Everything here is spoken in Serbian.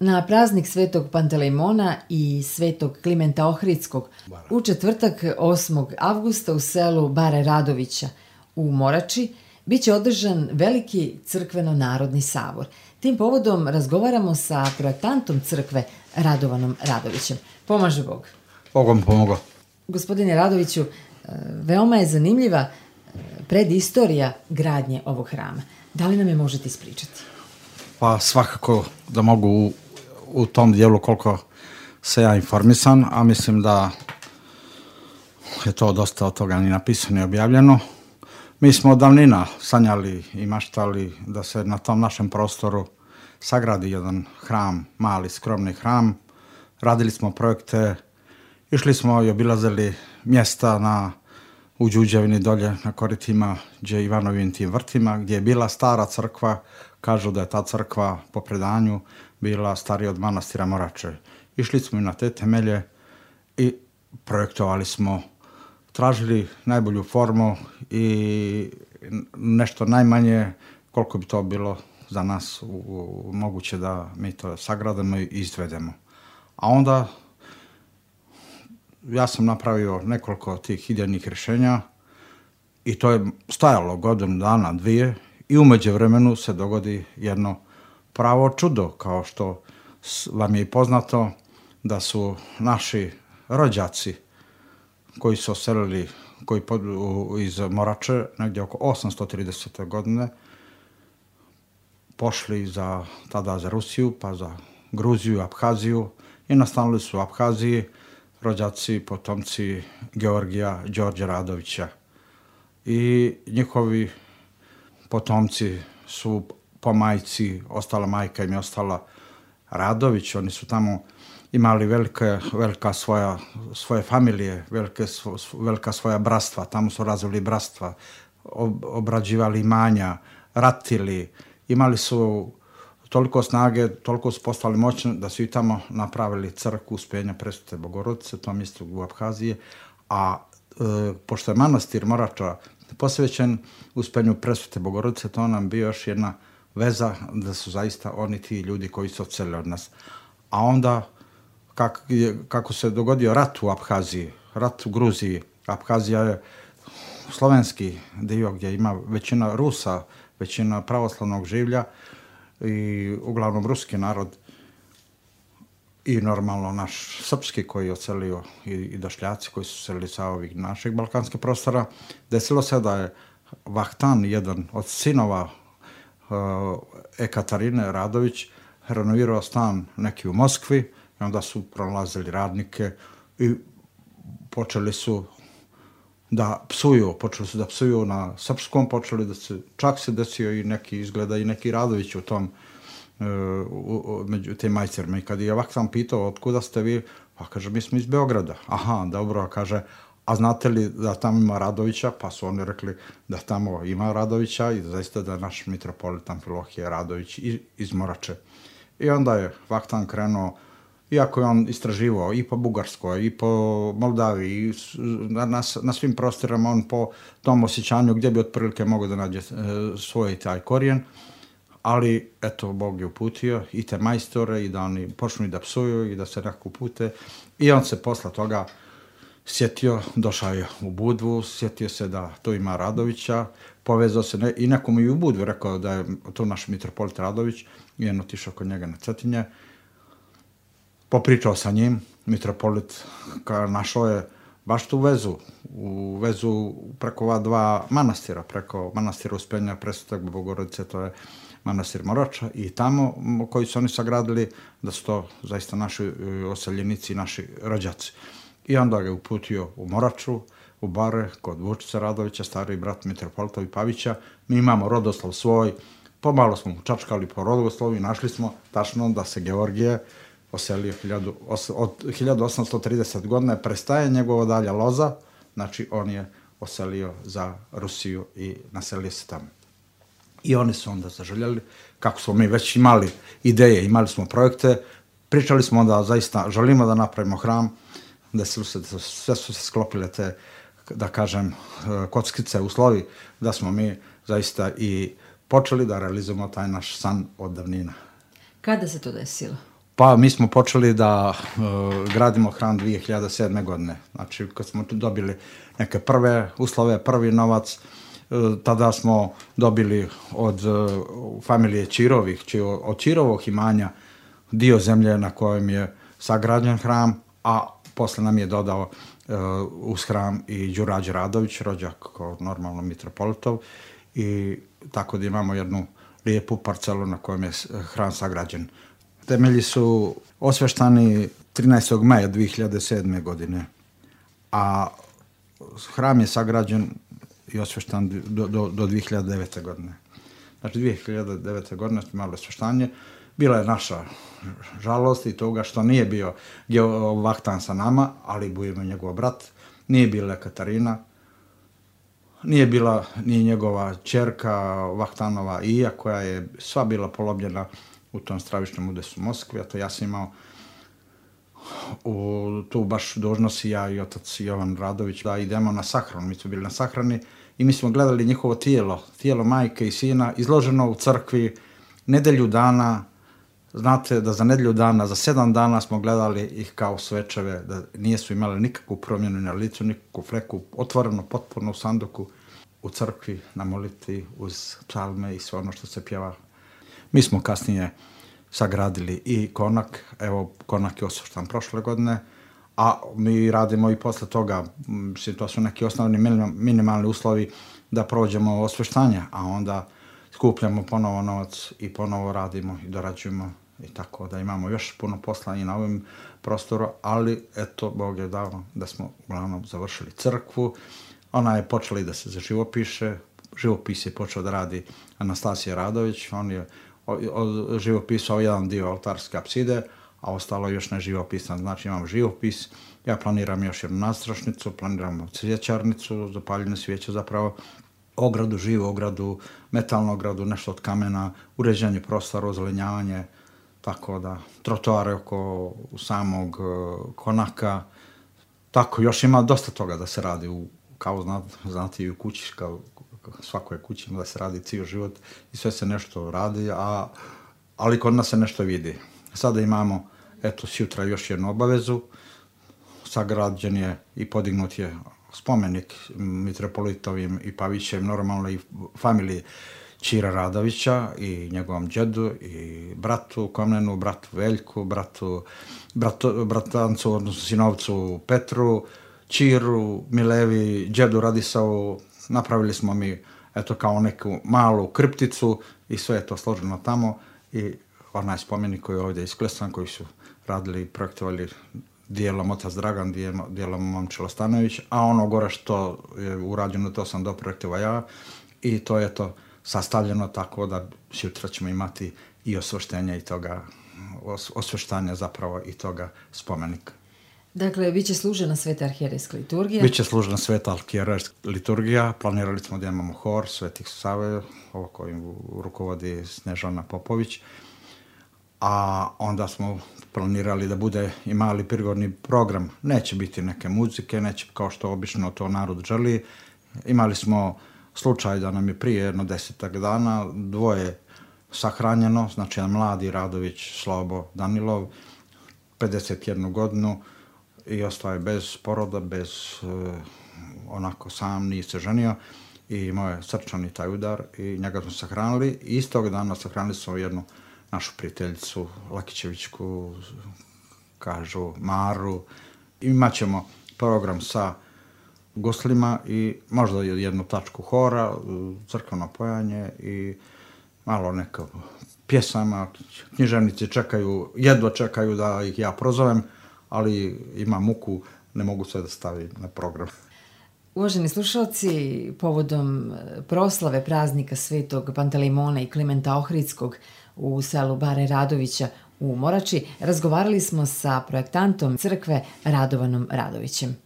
Na praznik Svetog Pantelejmona i Svetog Klimenta Ohridskog u četvrtak 8. avgusta u selu Bare Radovića u Morači biće održan veliki crkveno-narodni sabor. Tim povodom razgovaramo sa projektantom crkve Radovanom Radovićem. Pomaže Bog. Bogom pomogao. Gospodine Radoviću, veoma je zanimljiva predistorija gradnje ovog hrama. Da li nam je možete ispričati? Pa svakako da mogu u tom dijelu koliko se ja informisan, a mislim da je to dosta od toga ni napisano i objavljeno. Mi smo od davnina sanjali i maštali da se na tom našem prostoru sagradi jedan hram, mali, skromni hram. Radili smo projekte, išli smo i obilazili mjesta u Đuđevini dolje na koritima gdje Ivanovim tim vrtima, gdje je bila stara crkva. Kažu da je ta crkva po predanju bila starija od manastira Morače. Išli smo i na te temelje i projektovali smo, tražili najbolju formu i nešto najmanje koliko bi to bilo za nas moguće da mi to sagradimo i izvedemo. A onda ja sam napravio nekoliko tih idejnih rješenja i to je stajalo godinu dana, dvije, i u međuvremenu se dogodi jedno pravo čudo, kao što vam je i poznato da su naši rođaci koji su oselili iz Morače negdje oko 830. godine pošli tada za Rusiju, pa za Gruziju, Abhaziju i nastanili su u Abhaziji rođaci, potomci Georgija Đorđe Radovića. I njihovi potomci su po majci, ostala majka im je ostala Radović, oni su tamo imali velika svoje familije, velika svoja bratstva, tamo su razvili bratstva, obrađivali imanja, ratili, imali su toliko snage, toliko su postali moćni da su i tamo napravili crkvu Uspenja Presvete Bogorodice, to mjesto u Abhaziji, a pošto je manastir Morača posvećen Uspenju Presvete Bogorodice, to nam bio još jedna veza da su zaista oni ti ljudi koji su odselili od nas. A onda, kako se dogodio rat u Abhaziji, rat u Gruziji, Abhazija je slovenski dio gdje ima većina Rusa, većina pravoslavnog življa i uglavnom ruski narod i normalno naš srpski koji je odselio i došljaci koji su selili sa ovih naših balkanskih prostora. Desilo se da je Vahtan, jedan od sinova Ekaterine Radović, renovirao stan neki u Moskvi i onda su pronalazili radnike i počeli su da psuju na srpskom, čak se desio i neki Radović u tom među tim majcerima. I kad je Vahtan pitao otkuda ste vi, pa kaže mi smo iz Beograda. Aha, dobro, kaže, a znate li da tamo ima Radovića? Pa su oni rekli da tamo ima Radovića i zaista da je naš mitropolit Amfilohije Radović iz Morače. I onda je Vahtan krenuo, iako je on istraživao i po Bugarskoj, i po Moldaviji, i na svim prostorama, on po tom osjećanju gdje bi otprilike mogao da nađe svoj taj korijen, ali eto, Bog je uputio i te majstore i da oni počnu i da psuju i da se nekako upute. I on se posle toga sjetio, došao je u Budvu, sjetio se da tu ima Radovića, povezao se i nekomu i u Budvu rekao da je tu naš mitropolit Radović i on otišao kod njega na Cetinje. Popričao sa njim, mitropolit našao je baš tu vezu preko ova dva manastira, preko manastira Uspenja Presvete Bogorodice, to je manastir Morača, i tamo koji su oni sagradili, da su to zaista naši oseljenici i naši rođaci. I onda ga je uputio u Moraču, u Bare, kod Vučića Radovića, stariji brat mitropolita Pavića. Mi imamo rodoslov svoj, pomalo smo mu čačkali po rodoslovu i našli smo tačno da se Georgije oselio od 1830 godine, prestaje njegova dalja loza, znači on je oselio za Rusiju i naselio se tamo. I oni su onda zaželjeli, kako smo mi već imali ideje, imali smo projekte, pričali smo da zaista želimo da napravimo hram, desilo se, sve su se sklopile te, da kažem, kockice, uslovi, da smo mi zaista i počeli da realizujemo taj naš san od davnina. Kada se to desilo? Pa mi smo počeli da gradimo hram 2007. godine. Znači, kad smo dobili neke prve uslove, prvi novac, tada smo dobili od familije Čirovih, od Čirovog imanja dio zemlje na kojem je sagrađen hram, a posle nam je dodao uz hram i Đurađe Radović, rođak kao normalno mitropolitov, i tako da imamo jednu lijepu parcelu na kojem je hram sagrađen. Temelji su osveštani 13. maja 2007. godine, a hram je sagrađen i osveštan do 2009. godine. Znači 2009. godine smo imali osveštanje. Bila je naša žalost i toga što nije bio Vahtan sa nama, ali Bujemo njegov brat, nije bila Katarina, nije bila ni njegova ćerka Vahtanova Ija, koja je sva bila polobljena u tom stravičnom udesu u Moskvi, a to ja sam imao tu baš dužnost ja i otac Jovan Radović da idemo na sahranu. Mi smo bili na sahrani i mi smo gledali njihovo tijelo majke i sina izloženo u crkvi nedelju dana. Znate da za nedelju dana, za 7 dana smo gledali ih kao svečeve, da nisu imali nikakvu promjenu na licu, nikakvu fleku, otvoreno potpuno u sanduku, u crkvi, na molitvi, uz psalme i sve ono što se pjeva. Mi smo kasnije sagradili i konak, evo konak je osveštan prošle godine, a mi radimo i posle toga, to su neki osnovni minimalni uslovi da prođemo osveštanje, a onda skupljamo ponovo novac i ponovo radimo i dorađujemo i tako da imamo još puno posla i na ovom prostoru, ali eto, Bog je dao da smo uglavnom završili crkvu. Ona je počela i da se živopiše, živopis je počeo da radi Anastasija Radović, on je živopisao jedan dio oltarske apside, a ostalo još ne živopisan, znači imam živopis, ja planiram još jednu nastrašnicu, planiram cvjećarnicu, zapaljene svijeće zapravo, ogradu, živu ogradu, metalnu ogradu, nešto od kamena, uređenje prostora, ozelenjavanje, tako da, trotoare oko samog konaka, tako, još ima dosta toga da se radi, kao znate i u kući, kao svakoj kući da se radi cijel život i sve se nešto radi, ali kod nas se nešto vidi. Sada imamo, eto, sutra još jednu obavezu, sagrađen je i podignut je spomenik mitropolitovim i Pavićem, normalno i familiji Čira Radovića i njegovom džedu i bratu Komnenu, bratu Veljku, bratancu, odnosno sinovcu Petru, Čiru, Milevi, džedu Radisavu. Napravili smo mi, eto, kao neku malu kripticu i sve je to složeno tamo i onaj spomenik koji je ovdje isklesan, koji su radili i projektovali dijelom otac Dragan, dijelom Momčilo Stanović, a ono gore što je urađeno, to sam doprojektovao ja i to je to sastavljeno tako da sutra ćemo imati i osveštenje i toga, osveštanje zapravo i toga spomenika. Dakle, biće služena Sveta arhijerejska liturgija? Biće služena Sveta arhijerejska liturgija, planirali smo da imamo hor Svetih Save, ovo kojim rukovodi Snežana Popović, a onda smo planirali da bude i mali prigodni program. Neće biti neke muzike, neće kao što obično to narod želi. Imali smo slučaj da nam je prije jedno 10 dana dvoje sahranjeno, znači jedan mladi Radović Slobo Danilov, 51 godinu i ostao je bez poroda, bez onako sam, nije se ženio i imao je srčani taj udar i njega smo sahranili. I istog dana sahranili smo jednu našu prijateljicu Lakićevićku, kažu Maru. Imaćemo program sa goslima i možda jednu tačku hora, crkveno pojanje i malo neka pjesama. Književnici jedva čekaju da ih ja prozovem, ali ima muku, ne mogu sve da stavi na program. Uvaženi slušalci, povodom proslave praznika Svetog Pantelejmona i Klimenta Ohridskog u selu Bare Radovića u Morači, razgovarali smo sa projektantom crkve Radovanom Radovićem.